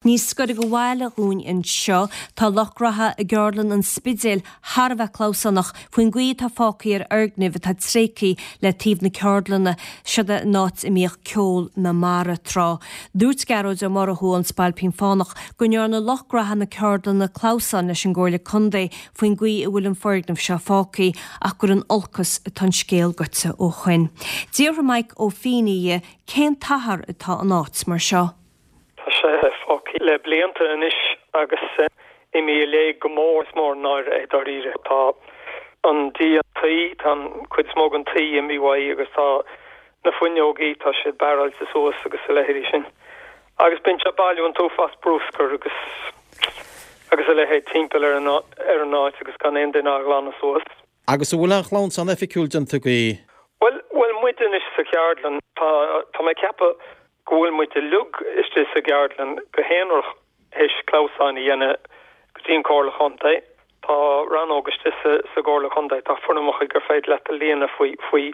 Níos gaire do bhaile dhúinn anseo, tá lucht graithe i gceardlann an Spidéil thar a bheith clamhsánach faoin gcaoi atá fágtha ar fhoirgnimh atá tréigthe le taobh na ceardlainne, seod é an áit a mbíodh ceol na mara tráth. Dúirt Gearóid Ó Murchú ón Spailpín Fánach go ndearna lucht graithe na ceardlainne clamhsán leis an gComhairle Contae faoin gcaoi a bhfuil an foirgneamh seo fágtha ach gur in olcas atá an scéal goite ó shoin. D'fhiafraigh Maidhc Ó Fínneadha dhe cén t-achar atá an áit mar seo. Tá sé fágtha le blianta anois agus imithe i léig go mór. Is mór an náire é dáiríre. Tá an díon tuí, tá an cuid is mó den tuí imithe uaidh agus tá na fuinneogaí, tá siad barráilte suas agus a leithéidí sin. Agus bíonn sé ag bailiú an t-uafás bruscair agus agus a leithéid timpeall ar an ar an áit agus gan aon duine á ghlanadh suas. Agus an bhfuil aon chlamhsán oifigiúil déanta agaibh? Bhuel, bhuel, muid anois sa cheardlann, tá, tá mé ag ceapadh go bhfuil muid uilig istigh sa gceardlann go haonarach théis clamhsán a dhéanamh go dtí an Comhairle Chontae. Tá rannóg istigh sa, sa gComhairle Chontae, tá foirmeacha gur féidir leat a líonadh faoi, faoi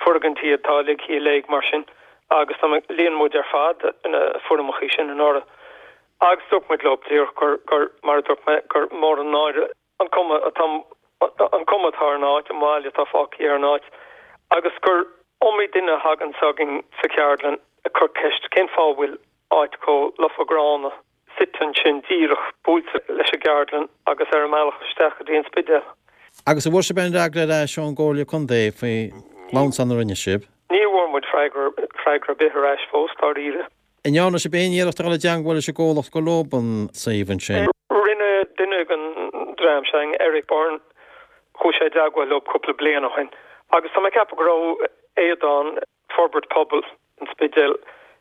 foirgintí atá ligthe i léig mar sin agus tá mé, líon muid ar fad na foirmeacha sin anuraidh. Agus dúirt muid leo díreach gur, gur, mar a dúirt mé, gur mór an náire an cuma atá an cuma atá ar an áit, an bhail atá fágtha ar an áit, agus gur iomaí duine a thagann chugainn sa cheardlann ag cur ceist cén fáth a bhfuil áit chomh lofa gránna suite ansin díreach buailte leis an gceardlann agus ar an mbealach isteach go dtí an Spidéal. Agus an bhfuair sibh aon fhreagra ar ais ón gComhairle Contae faoin gclamhsán a rinne sibh? Ní bhfuair muid freagra freagra ar bith ar ais fós, dáiríre. An ndearna sibh aon iarracht a dhul i dteangmháil leis an gcomhlacht gur leob an suíomh ansin? Rinne duine den dream sin, Eric Byrne, chuaigh sé i dteagmháil leo cúpla bliain ó shin agus tá mé ag ceapadh go raibh Aodán, Forbairt Pobail an Spidéil,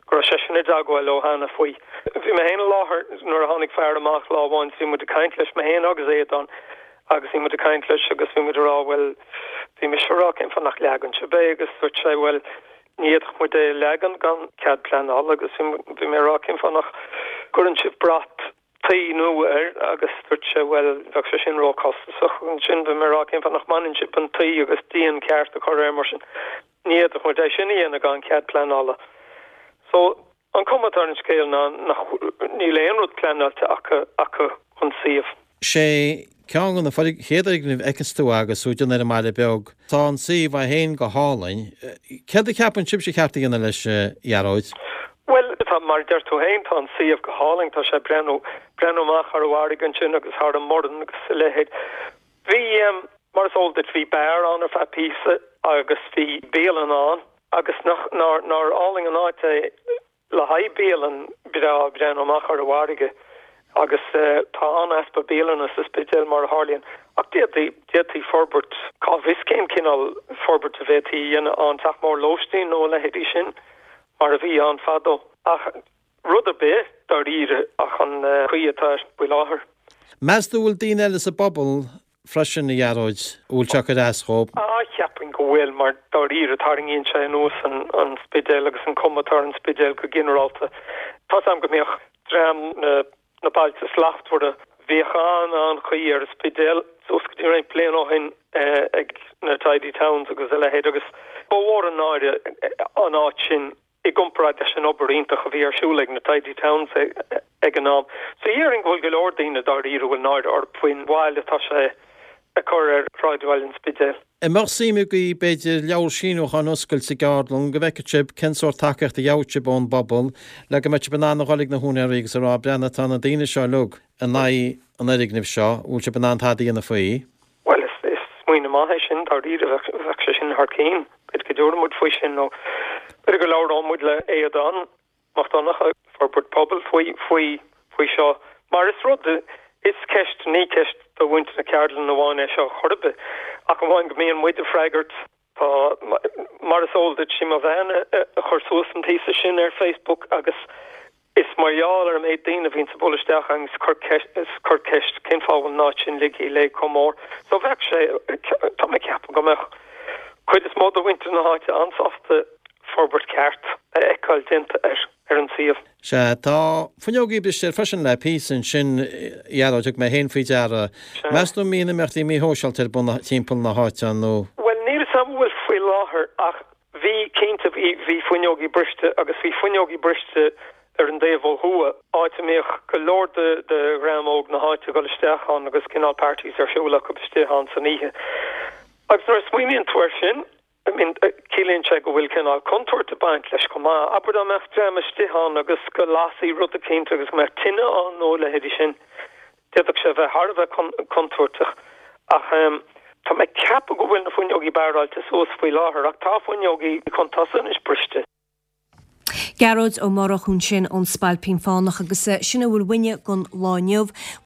go raibh seisean i dteagmháil leo cheana faoi. Bhí mé féin i láthair nuair a tháinig fear amach lá amháin is bhí muid ag caint leis, mé féin agus Aodán, agus bhí muid ag caint leis agus bhí muid ag rá bhuel, bhí mise ag rá cén fáth nach leagann sibh é agus dúirt sé bhuel, Ní fhéadfadh muid é a leagan gan cead pleanála agus bhí mé ag rá cén fáth nach gcuireann sibh brat tuí nua air agus dúirt sé bhuel bheadh sé sin róchostasach. Ansin bhí mé ag rá cén fáth nach mbaineann sibh an tuí agus díon ceart a chur air mar sin. Ní fhéadfadh muid é sin a dhéanamh gan cead pleanála. So An cuma atá ar an scéal ná nach níl aon rud pleanáilte acu acu don suíomh. Sé ceann de na chéad fhoirgnimh a fheiceanns tú agus tú ag déanamh ar an mbaile beag. Tá an suíomh é féin go hálainn. Céard a cheapann sibhse ar cheart a dhéanamh leis, a Ghearóid? Bhuel, tá, mar a deir tú féin, tá an suíomh go hálainn. Tá sé ag breathnú, breathnú amach thar an bhfarraige ansin agus thar an mBoireann agus a leithéid. Bhí, mar is eol duit, bhí beár ann ar feadh píosa agus bhí bialann ann. Agus nach, nár, nár álainn an áit é le haghaidh bialann breá ag breathnú amach ar an bhfarraige agus tá an-easpa bialanna sa Spidéal mar a tharlaíonn. Ach d'fhéadfaí, d'fhéadfaí forbairt, cá bhfios cén cineál forbairt a bhféadfaí a dhéanamh ann, teach mór lóistín nó a leithéidí sin mar a bhí ann fadó. Ach rud ar bith dáiríre ach an chaoi atá air faoi láthair. Meas tú an bhfuil daoine eile sa bpobal freisin, a Ghearóid, a bhfuil sé ag cur as dhóibh? Ah, cheapfainn go bhfuil, mar dáiríre tarraingíonn sé anuas an Spidéal agus an cuma atá ar an Spidéal go ginearálta. Tá's a'm go mbíodh dream na na Bailte Slachtmhara, bhíodh an-an-chaoi ar an Spidéal suas go dtí roinnt bliain ó shin ag na Tidy Towns agus a leithéid agus ba mhór an náire an áit sin i gcomparáid leis an obair iontach a bhí ar siúl ag na Tidy Towns ag an am. So dhéarfainn go bhfuil go leor daoine dáiríre a bhfuil náire orthu faoin bhail atá sé ag cur ar shráidbhaile an Spidéil. An mbeadh suim agaibh, b'fhéidir, leabhar síniúcháin a oscailt sa gceardlann go bhfeicfeadh sibh cén sórt tacaíocht a gheobhadh sibh ón bpobal le go mbeadh sibh in ann a dhul ag na húinéirí agus a rá, breathnaigh, tá na daoine seo uilig in aghaidh an fhoirgnimh seo, an bhfuil sibh in ann tada a dhéanamh faoi? Bhuel, is smaoineamh maith é sin, dáiríre, bheadh sé sin thar cinn. B'fhéidir go dtabharfaidh muid faoi sin nó b'fhéidir go labhróidh muid le Aodán Mac Donncha, Forbairt Pobail, faoi, faoi, faoi seo. Mar is rud, is ceist, ní ceist do mhuintir na ceardlainne amháin é seo chor ar bith, ach amháin go mbíonn muid ag freagairt. Tá, mar is eol duit, sí mo bhean a chuir suas an píosa sin ar Facebook agus is mar gheall ar an méid daoine a bhíonns ag bualadh isteach agus ag cur ceist, ag cur ceist cén fáth a bhfuil an áit sin ligthe i léig chomh mór. So bheadh sé, tá mé ag ceapadh go mbeadh cuid is mó de mhuintir na háite an-sásta forbairt ceart a fheiceáil déanta ar ar an suíomh. Sea, tá fuinneogaí briste air freisin le píosa ansin, a Ghearóid, thug mé féin faoi deara. Sea. Meas tú an mbíonn imeachtaí míshóisialta ar bun timpeall na háite nó? Bhuel, níl 'fhios a'm an bhfuil faoi láthair ach bhí, cinnte, bhí, bhí fuinneogaí briste agus bhí fuinneogaí briste. ar an dtaobh ó thuaidh, áit a mbíodh go leor de dhream óg na háite ag dul isteach ann agus cineál parties ar siúl acu istigh ann san oíche. Agus nuair a smaoiníonn tú air sin, I mean, ciallaíonn sé go bhfuil cineál contúirt ag baint leis chomh maith. Abair dá mbeadh dream istigh ann agus go lasfaí rud eicínt agus go mbeadh tine ann nó a leithéidí sin, d'fhéadfadh sé a bheith thar a bheith contúirteach. Ach tá mé ag ceapadh go bhfuil na fuinneogaí barráilte suas faoi láthair ach tá fuinneogaí chun tosaigh anois briste. Gearóid Ó Murchú ansin ón Spailpín Fánach agus sin a bhfuil uainne don lá inniu.